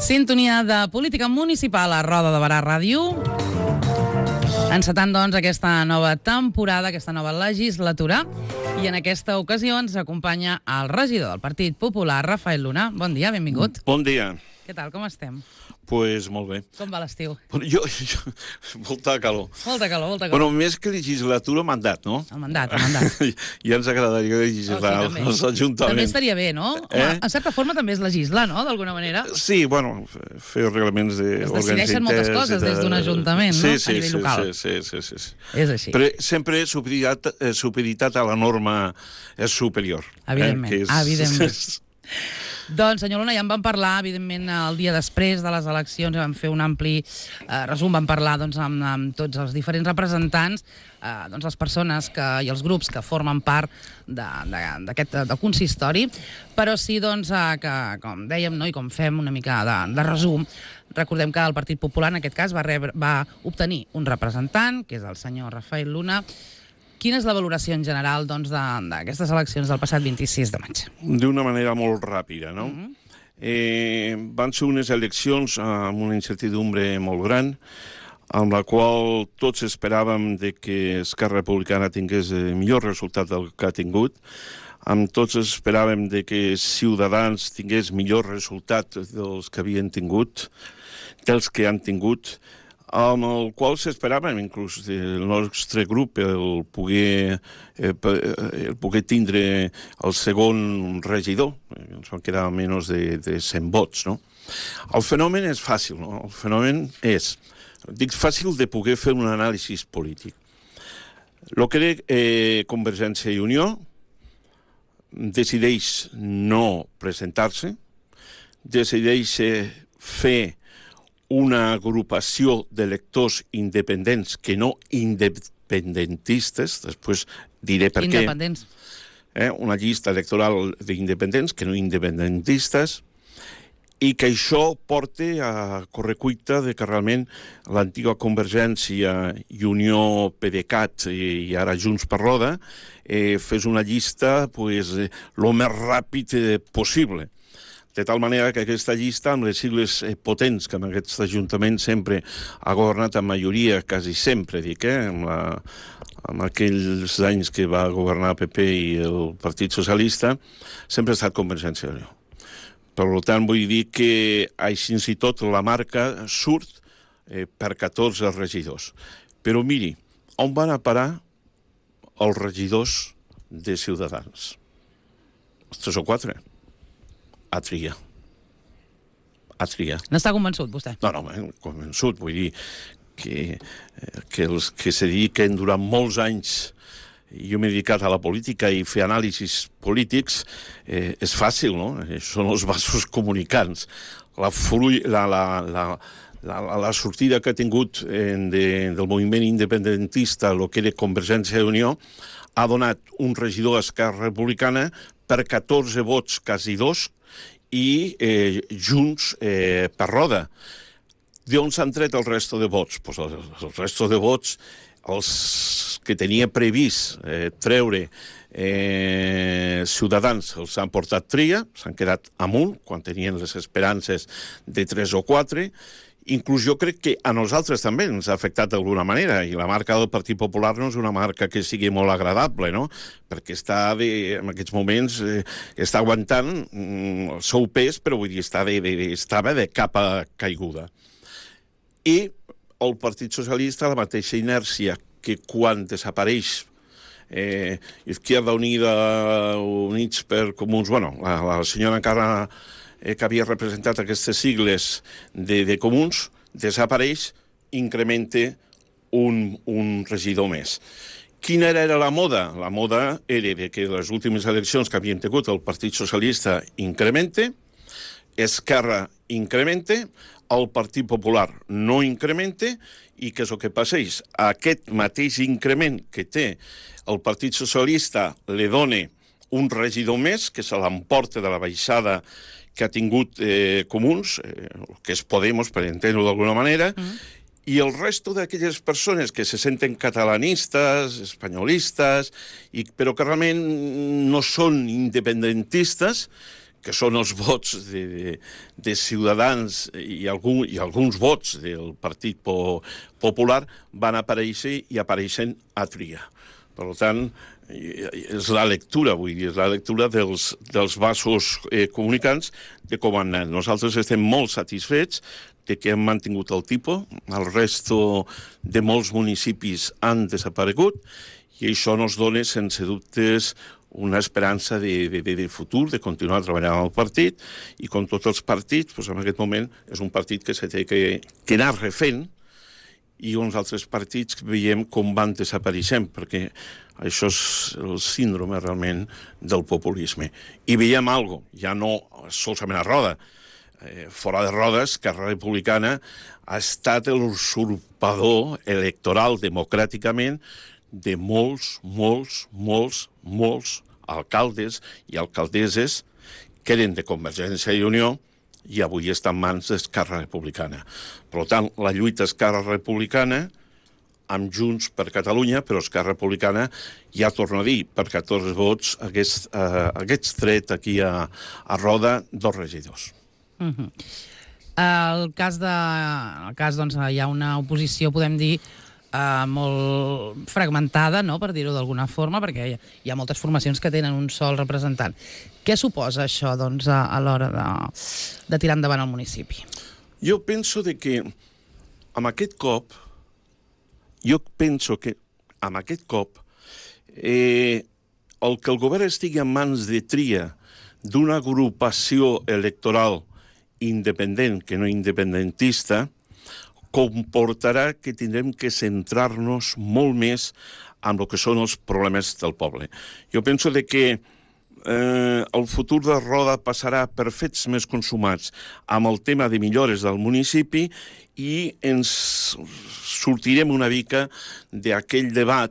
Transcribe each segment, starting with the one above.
Sintonia de política municipal a Roda de Barà Ràdio. Encetant, doncs, aquesta nova temporada, aquesta nova legislatura. I en aquesta ocasió ens acompanya el regidor del Partit Popular, Rafael Luna. Bon dia, benvingut. Bon dia. Què tal, com estem? Pues molt bé. Com va l'estiu? Molta calor. Molta calor. Bueno, més que legislatura, mandat, no? El mandat. Ja ens agradaria legislar als ajuntaments. També estaria bé, no? En certa forma també és legislar, no?, d'alguna manera. Sí, bueno, fer reglaments Es decideixen moltes coses des d'un ajuntament, no?, a nivell local. Sí. És així. Però sempre supeditat a la norma superior. Evidentment. Doncs, senyor Luna, ja en vam parlar, evidentment, el dia després de les eleccions, vam fer un ampli resum, vam parlar amb tots els diferents representants, les persones i els grups que formen part d'aquest consistori, però sí, que, com dèiem, i com fem una mica de resum, recordem que el Partit Popular, en aquest cas, va obtenir un representant, que és el senyor Rafael Luna. Quina és la valoració en general d'aquestes eleccions del passat 26 de maig? D'una manera molt ràpida, no? Van ser unes eleccions amb una incertidumbre molt gran, amb la qual tots esperàvem que Esquerra Republicana tingués millor resultat del que ha tingut, amb tots esperàvem que Ciutadans tingués millor resultat dels que havien tingut, dels que han tingut, amb el qual s'esperàvem, inclús el nostre grup, el poder tindre el segon regidor. Ens van quedar menys de 100 vots, no? El fenomen és fàcil, no? El fenomen és, dic fàcil de poder fer un anàlisi polític. El que Convergència i Unió decideix no presentar-se, decideix fer una agrupació d'electors independents que no independentistes, després diré per què. Independents. Una llista electoral d'independents que no independentistes, i que això porta a correcuita que realment l'antiga Convergència i Unió PDeCAT i ara Junts per Roda fes una llista el més ràpid possible. De tal manera que aquesta llista, amb les sigles potents que en aquest ajuntament sempre ha governat en majoria, quasi sempre, en aquells anys que va governar el PP i el Partit Socialista, sempre ha estat Convergència i Unió. Per tant, vull dir que així i tot la marca surt per 14 regidors. Però miri, on van a parar els regidors de Ciutadans? Els 3 o 4. A triar. N'està convençut, vostè? No, convençut. Vull dir que els que se dediquen durant molts anys, jo m'he dedicat a la política i fer anàlisis polítics, és fàcil, no? Són els vasos comunicants. La sortida que ha tingut del moviment independentista, el que era Convergència i Unió, ha donat un regidor a Esquerra Republicana per 14 vots, quasi 2, i Junts per Roda. D'on s'han tret el resto de vots? El resto de vots, els que tenia previst treure Ciutadans, els han portat tria, s'han quedat amunt, quan tenien les esperances de 3 o 4. Inclús jo crec que a nosaltres també ens ha afectat d'alguna manera, i la marca del Partit Popular no és una marca que sigui molt agradable, no? Perquè en aquests moments està aguantant el seu pes, però vull dir, estava de capa caiguda. I el Partit Socialista, la mateixa inèrcia que quan desapareix Izquierda Unida, Units per Comuns, la senyora encara que havia representat aquestes sigles de Comuns, desapareix, incrementa un regidor més. Quina era la moda? La moda era que les últimes eleccions que havien tingut el Partit Socialista incrementa, Esquerra incrementa, el Partit Popular no incrementa, i què és el que passeix? Aquest mateix increment que té el Partit Socialista li dona un regidor més, que se l'emporta de la baixada que ha tingut Comuns, que és Podemos, per entendre-ho d'alguna manera, i el resto d'aquelles persones que se senten catalanistes, espanyolistes, però que realment no són independentistes, que són els vots de Ciutadans i alguns vots del Partit Popular, van aparèixer i apareixen a tria. Per tant, és la lectura, vull dir, és la lectura dels vasos comunicants de com han anat. Nosaltres estem molt satisfets de que hem mantingut el tipus, el resto de molts municipis han desaparegut, i això ens dona, sense dubtes, una esperança de futur, de continuar treballant amb el partit, i com tots els partits, doncs en aquest moment és un partit que s'ha que anar refent, i uns altres partits veiem com van desapareixent, perquè això és el síndrome realment del populisme. I veiem alguna cosa, ja no solament a Roda, fora de Roda, Esquerra Republicana ha estat l'usurpador electoral democràticament de molts alcaldes i alcaldesses que eren de Convergència i Unió i avui està en mans d'Esquerra Republicana. Per tant, la lluita Esquerra Republicana amb Junts per Catalunya, però Esquerra Republicana, ja torno a dir, per 14 vots hagués tret aquí a Roda 2 regidors. El cas, doncs, hi ha una oposició, podem dir, molt fragmentada, no?, per dir-ho d'alguna forma, perquè hi ha moltes formacions que tenen un sol representant. Què suposa això, doncs, a l'hora de tirar endavant el municipi? Jo penso que amb aquest cop el que el govern estigui en mans de tria d'una agrupació electoral independent que no independentista comportarà que tindrem que centrar-nos molt més en el que són els problemes del poble. Jo penso que el futur de Roda passarà per fets més consumats amb el tema de millores del municipi i ens sortirem una mica d'aquell debat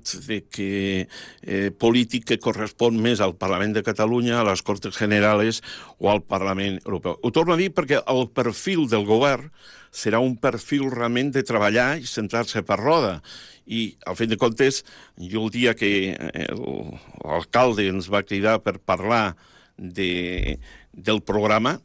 polític que correspon més al Parlament de Catalunya, a les Cortes Generales o al Parlament Europeu. Ho torno a dir perquè el perfil del govern serà un perfil realment de treballar i centrar-se per Roda. I, al fin de comptes, jo el dia que l'alcalde ens va cridar per parlar del programa,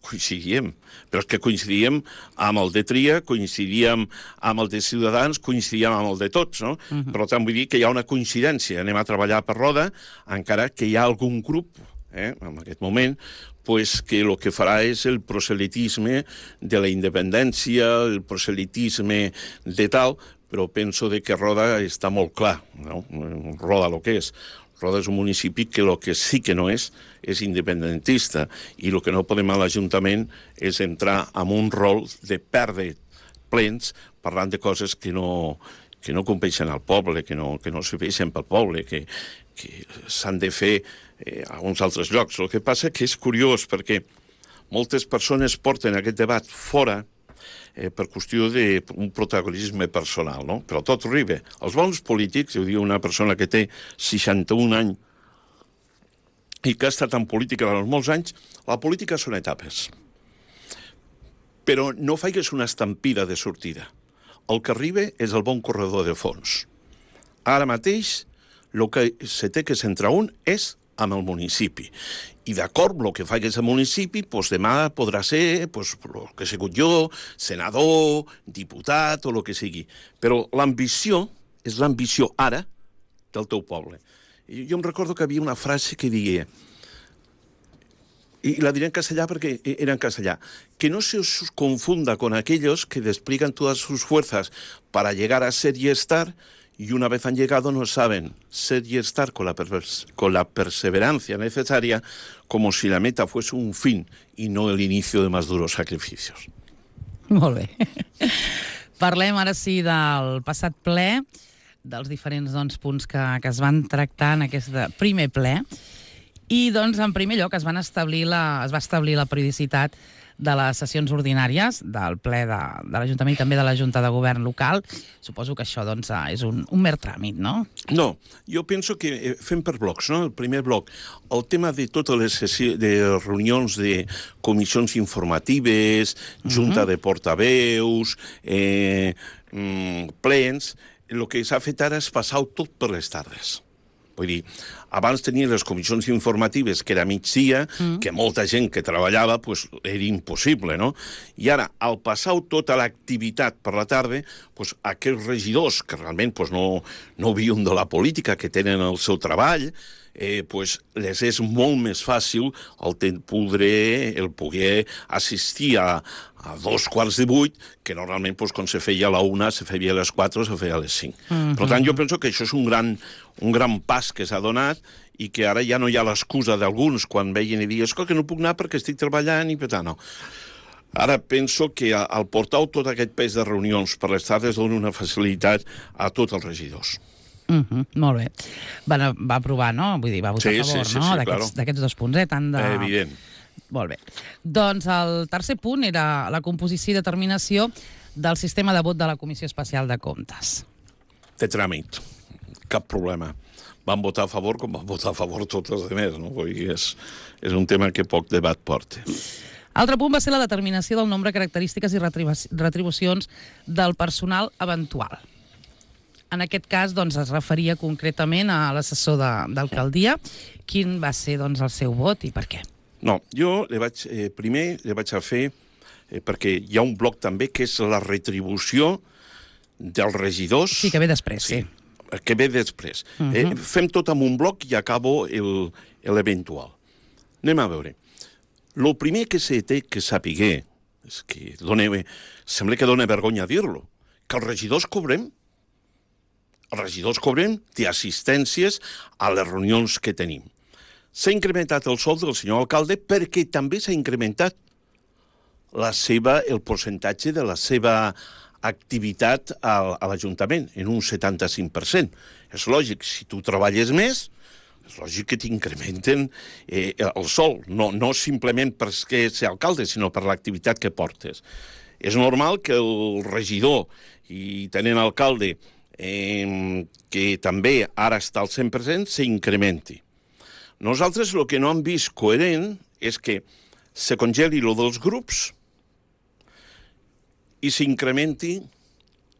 coincidíem. Però és que coincidíem amb el de Tria, coincidíem amb el de Ciutadans, coincidíem amb el de tots, no? Per tant, vull dir que hi ha una coincidència. Anem a treballar per Roda, encara que hi ha algun grup, en aquest moment, que el que farà és el proselitisme de la independència, el proselitisme de tal, però penso que Roda està molt clar, no? Roda el que és. Roda és un municipi que el que sí que no és independentista, i el que no podem a l'Ajuntament és entrar en un rol de perdre plens parlant de coses que no competeixen al poble, que no serveixen pel poble, que s'han de fer a uns altres llocs. El que passa que és curiós perquè moltes persones porten aquest debat fora per qüestió d'un protagonisme personal, no? Però tot arriba. Els bons polítics, ho diu una persona que té 61 anys i que ha estat en política durant molts anys, la política són etapes. Però no faigues una estampida de sortida. El que arriba és el bon corredor de fons. Ara mateix, el que se té que centrar un és amb el municipi. I d'acord amb el que facis al municipi, demà podrà ser el que he sigut jo, senador, diputat o el que sigui. Però l'ambició és l'ambició ara del teu poble. I jo em recordo que havia una frase que deia, y la diré en castellà perquè era en castellà, que no se os confunda con aquellos que despliegan todas sus fuerzas para llegar a ser y estar, y una vez han llegado no saben ser y estar con la perseverancia necesaria, como si la meta fuese un fin y no el inicio de más duros sacrificios. Molt bé. Parlem ara sí del passat ple, dels diferents punts que es van tractar en aquest primer ple, i en primer lloc es va establir la periodicitat de les sessions ordinàries del ple de l'Ajuntament i també de la Junta de Govern local. Suposo que això és un mer tràmit, no? No, jo penso que fem per blocs, no? El primer bloc, el tema de totes les reunions de comissions informatives, Junta de Portaveus, plens, el que s'ha fet ara és passar-ho tot per les tardes. Vull dir, abans tenia les comissions informatives, que era migdia, que molta gent que treballava, pues, era impossible, no? I ara, al passar tota l'activitat per la tarda, pues, aquests regidors, que realment pues, no viuen de la política, que tenen el seu treball, pues, les és molt més fàcil el poder assistir a 7:15, que normalment, pues, quan se feia a la 1, se feia a les 4, se feia a les 5. Per tant, jo penso que això és un gran pas que s'ha donat i que ara ja no hi ha l'excusa d'alguns quan veien i diuen que no puc anar perquè estic treballant i per tant, no. Ara penso que al portar tot aquest pes de reunions per les tardes dona una facilitat a tots els regidors. Molt bé. Va aprovar, no? Vull dir, va votar a favor, no? D'aquests 2 punts, tant de... Evident. Molt bé. Doncs el tercer punt era la composició i determinació del sistema de vot de la Comissió Especial de Comptes. Té tràmit. Cap problema. Van votar a favor com van votar a favor tots els altres, no? Vull dir, és un tema que poc debat porta. Altre punt va ser la determinació del nombre, característiques i retribucions del personal eventual. En aquest cas, doncs, es referia concretament a l'assessor d'alcaldia. Quin va ser, doncs, el seu vot i per què? No, jo primer li vaig a fer, perquè hi ha un bloc també que és la retribució dels regidors. Sí, que ve després, sí. Que ve després. Fem tot amb un bloc i acabo l'eventual. Anem a veure. El primer que se té que saber, és que sembla que dona vergonya dir-lo, que els regidors cobrem. Els regidors cobrem d'assistències a les reunions que tenim. S'ha incrementat el sou del senyor alcalde perquè també s'ha incrementat el percentatge de la seva activitat a l'Ajuntament, en un 75%. És lògic, si tu treballes més, és lògic que t'incrementen el sou, no simplement perquè ser alcalde, sinó per l'activitat que portes. És normal que el regidor i tenint alcalde que també ara està al 100%, s'incrementi. Nosaltres el que no hem vist coherent és que se congeli lo dels grups i s'incrementi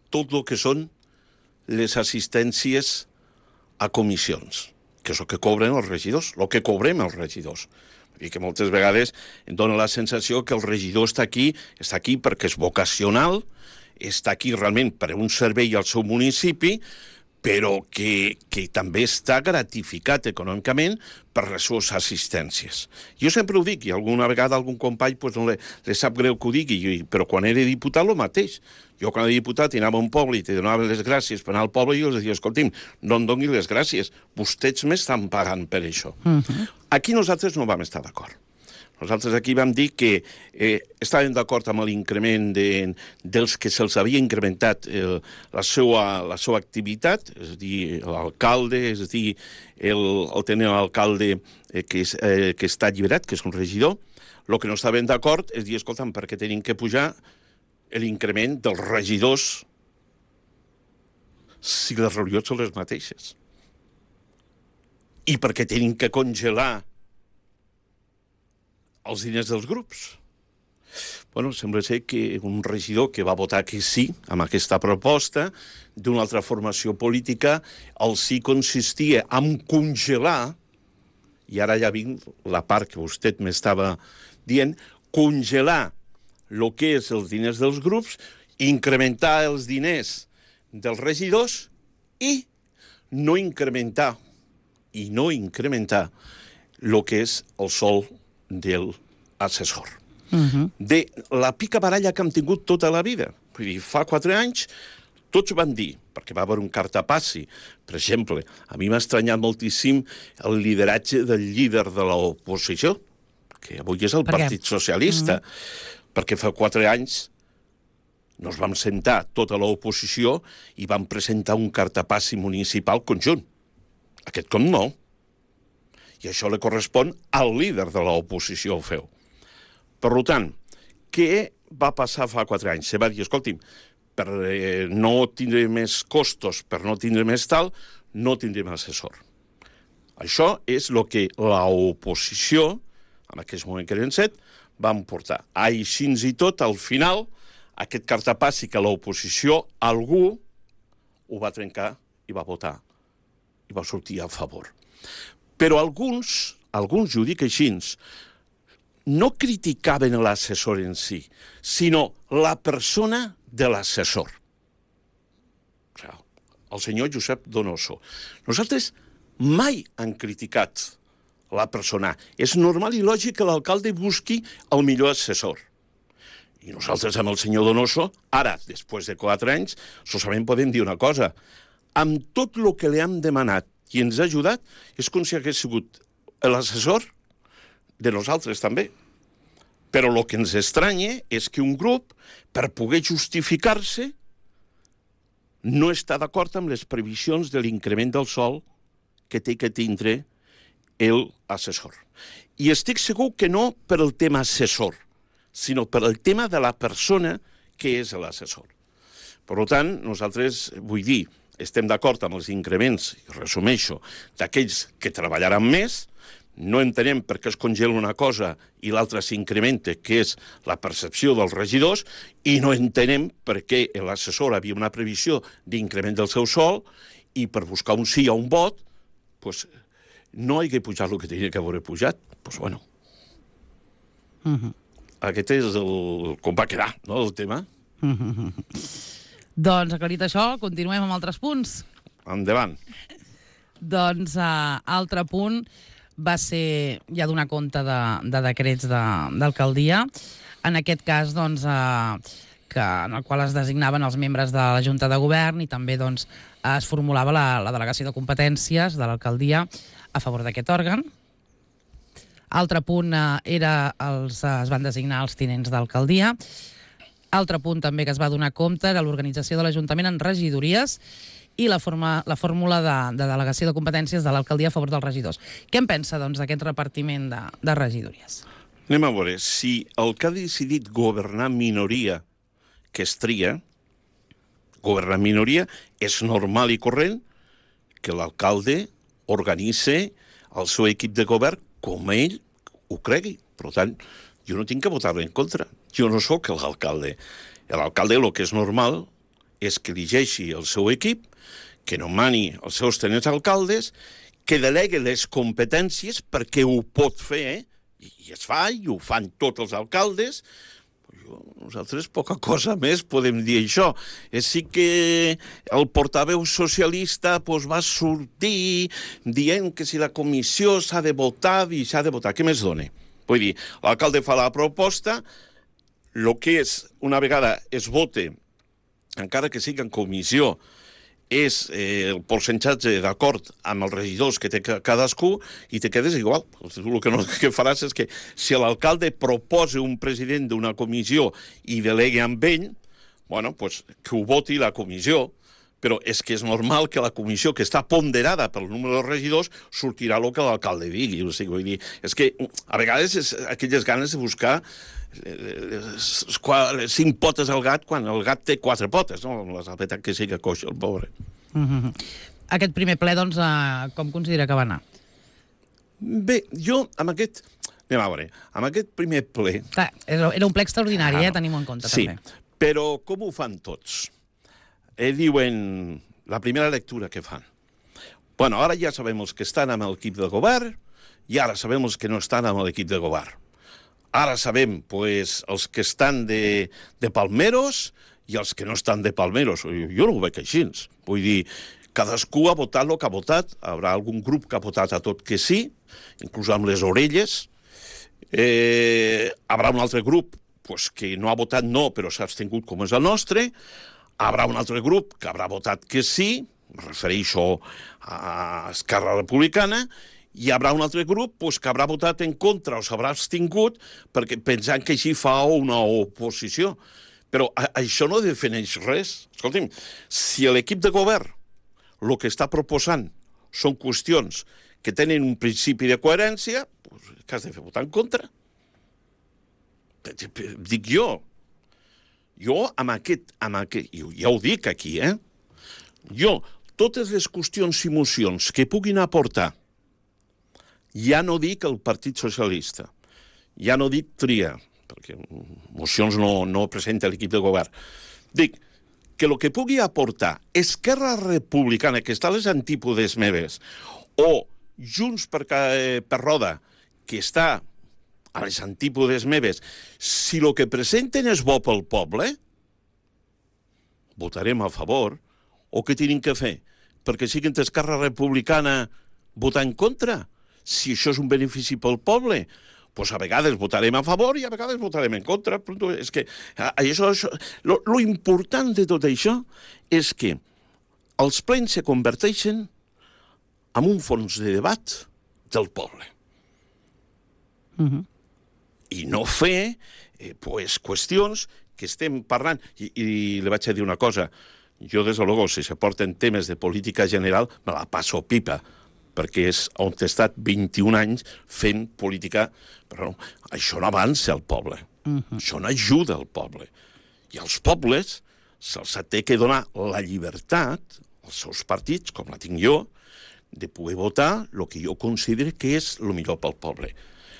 tot el que són les assistències a comissions, que és el que cobren els regidors, el que cobrem els regidors. I que moltes vegades em dona la sensació que el regidor està aquí perquè és vocacional, està aquí realment per un servei al seu municipi, però que també està gratificat econòmicament per les seves assistències. Jo sempre ho dic, i alguna vegada algun company no li sap greu que ho digui, però quan era diputat el mateix. Jo quan era diputat anava a un poble i te donava les gràcies per anar al poble i els deia, escolti'm, no em doni les gràcies, vostès m'estan pagant per això. Aquí nosaltres no vam estar d'acord. Nosaltres aquí vam dir que estàvem d'acord amb l'increment dels que se'ls havia incrementat la seva activitat, és a dir, l'alcalde, és a dir, el tenent alcalde que està alliberat, que és un regidor. El que no estàvem d'acord és dir, escolta'm, per què tenim que pujar l'increment dels regidors si les reunions són les mateixes? I per què tenim que congelar els diners dels grups? Bueno, sembla ser que un regidor que va votar que sí amb aquesta proposta d'una altra formació política, el sí consistia en congelar, i ara ja vinc la part que vostè m'estava dient, congelar el que és els diners dels grups, incrementar els diners dels regidors i no incrementar el que és el sou del assessor. De la pica baralla que hem tingut tota la vida. Vull dir, fa 4 anys tots van dir, perquè va haver un cartapassi, per exemple, a mi m'ha estranyat moltíssim el lideratge del líder de l'oposició, que avui és el Partit Socialista, perquè fa 4 anys nos vam sentar tota l'oposició i vam presentar un cartapassi municipal conjunt. Aquest com no. I això li correspon al líder de l'oposició, ho feu. Per tant, què va passar fa 4 anys? Se va dir, escolti'm, per no tindre més costos, per no tindre més tal, no tindrem assessor. Això és el que l'oposició, en aquest moment que eren 7, van portar. Així i tot, al final, aquest cartapassi que l'oposició, algú, ho va trencar i va votar i va sortir a favor. Però alguns, jo ho dic així, no criticaven l'assessor en si, sinó la persona de l'assessor. El senyor Josep Donoso. Nosaltres mai han criticat la persona. És normal i lògic que l'alcalde busqui el millor assessor. I nosaltres amb el senyor Donoso, ara, després de 4 anys, solament podem dir una cosa. Amb tot el que li hem demanat i ens ha ajudat, és com si hagués sigut l'assessor de nosaltres també. Però el que ens estranya és que un grup, per poder justificar-se, no està d'acord amb les previsions de l'increment del sòl que té que tindre l'assessor. I estic segur que no per el tema assessor, sinó per el tema de la persona que és l'assessor. Per tant, nosaltres, vull dir, estem d'acord amb els increments, i resumeixo, d'aquells que treballaran més. No entenem per què es congela una cosa i l'altra s'incrementa, que és la percepció dels regidors, i no entenem per què l'assessor havia una previsió d'increment del seu sòl i per buscar un sí o un vot no hi hagués pujat el que tenia que haver pujat. Doncs bueno. Aquest és com va quedar, no, el tema. Doncs, aclarit això, continuem amb altres punts. Endavant. Doncs, altre punt va ser ja donar compte de decrets d'alcaldia. En aquest cas, doncs, en el qual es designaven els membres de la Junta de Govern i també doncs, es formulava la delegació de competències de l'alcaldia a favor d'aquest òrgan. Altre punt es van designar els tinents d'alcaldia. Altre punt també que es va donar compte era l'organització de l'Ajuntament en regidories i la fórmula de delegació de competències de l'alcaldia a favor dels regidors. Què en pensa, doncs, d'aquest repartiment de regidories? Anem a veure, si el que ha decidit governar minoria que es tria, governar minoria, és normal i corrent que l'alcalde organitzi el seu equip de govern com ell ho cregui. Per tant, jo no tinc que votar-lo en contra. Jo no sóc l'alcalde. L'alcalde el que és normal és que elegeixi el seu equip, que nomani els seus tenents alcaldes, que delegui les competències perquè ho pot fer, i es fa, i ho fan tots els alcaldes. Nosaltres poca cosa més podem dir això. Sí que el portaveu socialista va sortir dient que si la comissió s'ha de votar i s'ha de votar. Què més dona? Vull dir, l'alcalde fa la proposta, el que és, una vegada es vote, encara que sigui en comissió, és el percentatge d'acord amb els regidors que té cadascú i te quedes igual. El que faràs és que si l'alcalde proposa un president d'una comissió i delegui amb ell, que ho voti la comissió, però és que és normal que la comissió que està ponderada pel número de regidors sortirà el que l'alcalde digui. Vull dir, és que a vegades és aquelles ganes de buscar 5 potes al gat quan el gat té 4 potes, no? La veritat que sí que coixa, el pobre. Aquest primer ple, doncs, com considera que va anar? Bé, jo amb aquest... Anem a veure, amb aquest primer ple... Clar, era un ple extraordinari, tenim-ho en compte, també. Sí, però com ho fan tots? Diuen la primera lectura que fan. Bueno, ara ja sabem els que estan amb l'equip de govern i ara sabem els que no estan amb l'equip de govern. Ara sabem, els que estan de palmeros i els que no estan de palmeros. Jo no ho veig així. Vull dir, cadascú ha votat el que ha votat. Hi haurà algun grup que ha votat a tot que sí, inclús amb les orelles. Hi haurà un altre grup que no ha votat no, però s'ha abstingut com és el nostre. Hi haurà un altre grup que haurà votat que sí, em refereixo a Esquerra Republicana, i hi haurà un altre grup que haurà votat en contra o s'haurà abstingut perquè pensant que així fa una oposició. Però això no defineix res. Escolti'm, si l'equip de govern el que està proposant són qüestions que tenen un principi de coherència, què has de fer? Votar en contra? Dic jo. Jo amb aquest, ja ho dic aquí, jo, totes les qüestions i mocions que puguin aportar, ja no dic el Partit Socialista, ja no dic Tria, perquè mocions no presenta l'equip de govern, dic que el que pugui aportar Esquerra Republicana, que està a les antípodes meves, o Junts per Roda, que està a les antípodes meves, si el que presenten és bo pel poble, votarem a favor, o què tenim que fer? Perquè siguin Esquerra Republicana votar en contra? Si això és un benefici pel poble, doncs a vegades votarem a favor i a vegades votarem en contra. És que lo important de tot això és que els plens se converteixen en un fons de debat del poble. I no fer qüestions que estem parlant. I li vaig a dir una cosa. Jo, des de luego, si se porten temes de política general, me la passo pipa, perquè és on he estat 21 anys fent política, però no, això no avança al poble, això no ajuda al poble. I als pobles se'ls té que donar la llibertat, als seus partits, com la tinc jo, de poder votar el que jo considero que és el millor pel poble.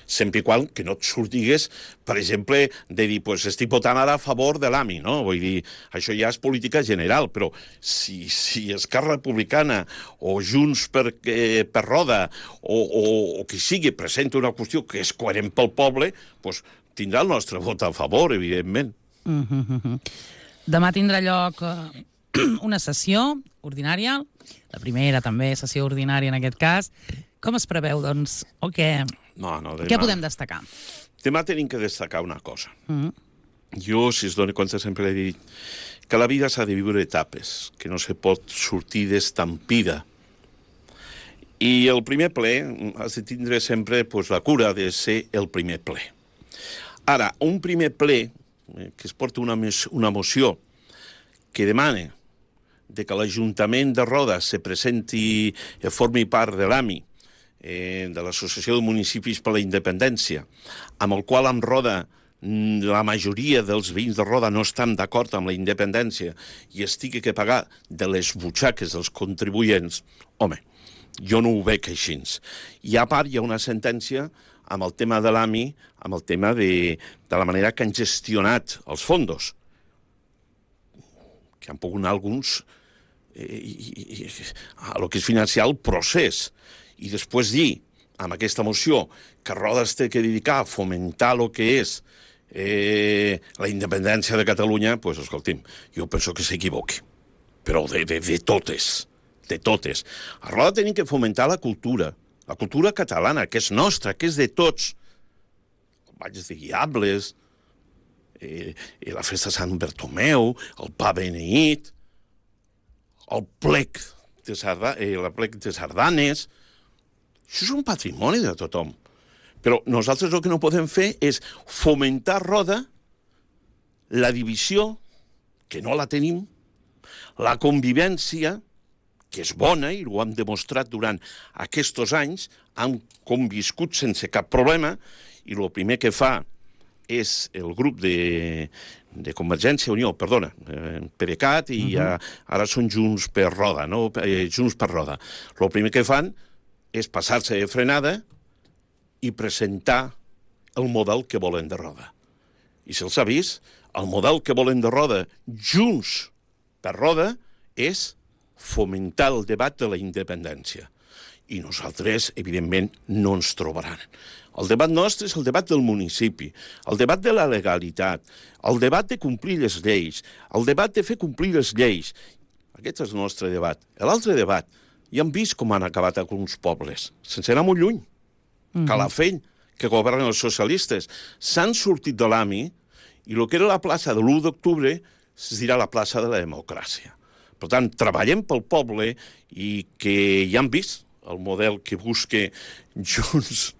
Sempre i quan que no et sortigues, per exemple, de dir, pues estic votant ara a favor de l'AMI, no? Vull dir, això ja és política general, però si Esquerra Republicana o Junts per Roda o qui sigui presenta una qüestió que és coherent pel poble, pues tindrà el nostre vot a favor, evidentment. Demà tindrà lloc una sessió ordinària, la primera també sessió ordinària en aquest cas. Com es preveu, doncs, o què? Què podem destacar? Demà tenim que destacar una cosa. Jo, si es dona compte, sempre he dit que la vida s'ha de viure etapes, que no se pot sortir d'estampida. I el primer ple has de tindre sempre la cura de ser el primer ple. Ara, un primer ple que es porta una moció que demana de que l'Ajuntament de Roda se presenti i formi part de l'AMI, de l'Associació de Municipis per la Independència, amb el qual en Roda la majoria dels veïns de Roda no estan d'acord amb la independència i estigui que pagar de les butxaques dels contribuents, home, jo no ho veig així. I a part hi ha una sentència amb el tema de l'AMI, amb el tema de la manera que han gestionat els fondos, que han pogut anar alguns a lo que és financiar el procés. I després dir, amb aquesta moció, que Roda es té que dedicar a fomentar el que és la independència de Catalunya, doncs, escolti'm, jo penso que s'equivoqui. Però de totes, de totes. A Roda tenim que fomentar la cultura catalana, que és nostra, que és de tots. El Ball de Diables, la festa de Sant Bartomeu, el pa beneït, el plec de sardanes. Això és un patrimoni de tothom. Però nosaltres el que no podem fer és fomentar a Roda la divisió, que no la tenim, la convivència, que és bona, i ho hem demostrat durant aquests anys, han conviscut sense cap problema, i el primer que fa és el grup de Convergència i Unió, perdona, PDeCAT, i ara són Junts per Roda, no? Junts per Roda. El primer que fan és passar-se de frenada i presentar el model que volen de Roda. I se'ls ha vist, el model que volen de Roda, Junts per Roda, és fomentar el debat de la independència. I nosaltres, evidentment, no ens trobaran. El debat nostre és el debat del municipi, el debat de la legalitat, el debat de complir les lleis, el debat de fer complir les lleis. Aquest és el nostre debat. L'altre debat, ja hem vist com han acabat alguns pobles, sense anar molt lluny. Calafell, que governen els socialistes, s'han sortit de l'AMI i el que era la plaça de l'1 d'octubre es dirà la plaça de la democràcia. Per tant, treballem pel poble i que ja hem vist el model que busca Junts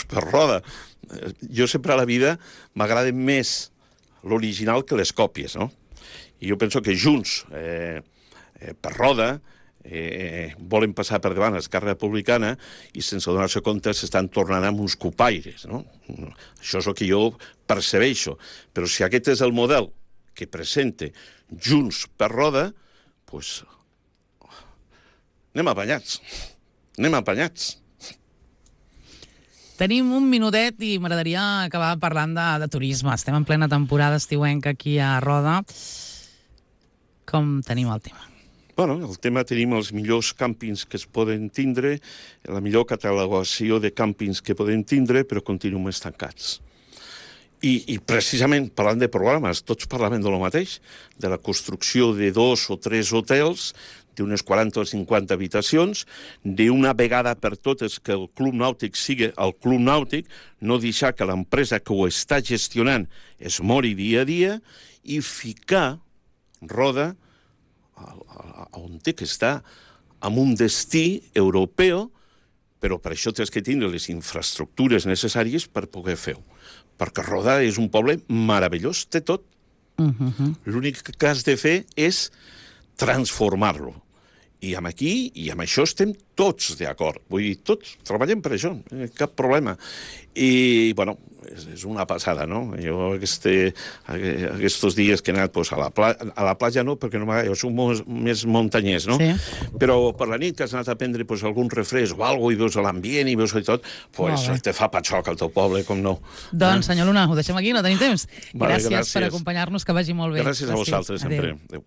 per Roda. Jo sempre a la vida m'agrada més l'original que les còpies, no? I jo penso que Junts per Roda volen passar per davant l'Esquerra Republicana i sense donar-se compte s'estan tornant amb uns copaires, no? Això és el que jo percebeixo. Però si aquest és el model que presenta Junts per Roda, doncs anem apanyats. Anem apanyats. Tenim un minutet i m'agradaria acabar parlant de turisme. Estem en plena temporada estiuenca aquí a Roda. com tenim el tema? Bueno, el tema tenim els millors càmpings que es poden tindre, la millor catalogació de càmpings que podem tindre, però continuem estancats. I precisament, parlant de programes, tots parlem de lo mateix, de la construcció de 2 o 3 hotels, d'unes 40 o 50 habitacions, d'una vegada per totes que el club nàutic sigui el club nàutic, no deixar que l'empresa que ho està gestionant es mori dia a dia, i ficar Roda on té que estar, amb un destí europeu, però per això tens que tindre les infraestructures necessàries per poder fer-ho. Perquè Roda és un poble meravellós, té tot. L'únic que has de fer és transformar-lo. I amb aquí, i amb això estem tots d'acord. Vull dir, tots treballem per això, cap problema. I, bueno, és una passada, no? Jo aquests dies que he anat a la platja no, perquè jo soc més muntanyès, no? Sí. Però per la nit que has anat a prendre algun refresc o alguna cosa i veus l'ambient i veus tot, te fa patxoc al teu poble, com no. Doncs, senyor Luna, ho deixem aquí, no tenim temps. Vale, gràcies per acompanyar-nos, que vagi molt bé. Gràcies a vosaltres, sempre. Adéu.